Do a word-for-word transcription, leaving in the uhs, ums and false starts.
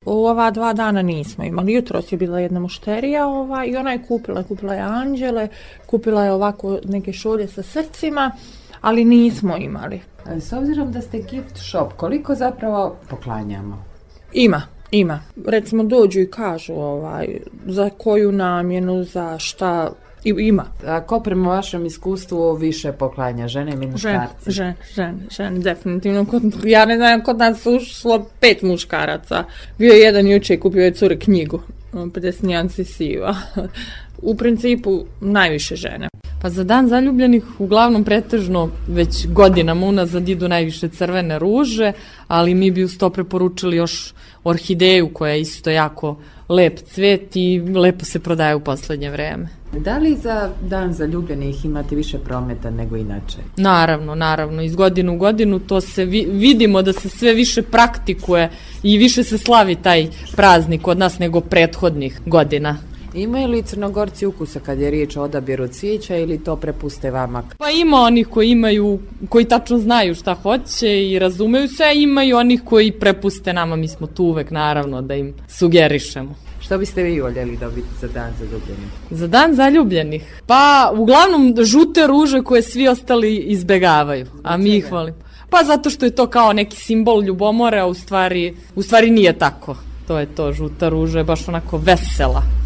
U ova dva dana nismo imali. Jutros je bila jedna mušterija ova, i ona je kupila, kupila je anđele, kupila je ovako neke šolje sa srcima, ali nismo imali. S obzirom da ste gift shop, koliko zapravo poklanjamo? Ima, ima. Recimo dođu i kažu ovaj, za koju namjenu, za šta, i ima. A ko prema vašem iskustvu više poklanja, žene ili muškarci? Žene, žene, žene, definitivno. Kod, ja ne znam, kod nas ušlo pet muškaraca. Bio je jedan juče, kupio je cure knjigu, pedeset nijansi siva. U principu najviše žene. Pa za dan zaljubljenih uglavnom pretežno već godinama unazad idu najviše crvene ruže, ali mi bi uz to preporučili još orhideju koja je isto jako lep cvet i lepo se prodaje u poslednje vreme. Da li za dan zaljubljenih imate više prometa nego inače? Naravno, naravno. Iz godine u godinu to se vi, vidimo da se sve više praktikuje i više se slavi taj praznik kod nas nego prethodnih godina. Imaju li Crnogorci ukusa kad je riječ o odabiru cvijeća ili to prepuste vama? Pa ima onih koji imaju, koji tačno znaju šta hoće i razumeju se, a ima i onih koji prepuste nama, mi smo tu uvek naravno da im sugerišemo. Što biste vi voljeli dobiti za dan zaljubljenih? Za dan zaljubljenih? Pa uglavnom žute ruže koje svi ostali izbegavaju, a mi ih volimo. Pa zato što je to kao neki simbol ljubomore, a u stvari, u stvari nije tako. To je to, žuta ruža je baš onako vesela.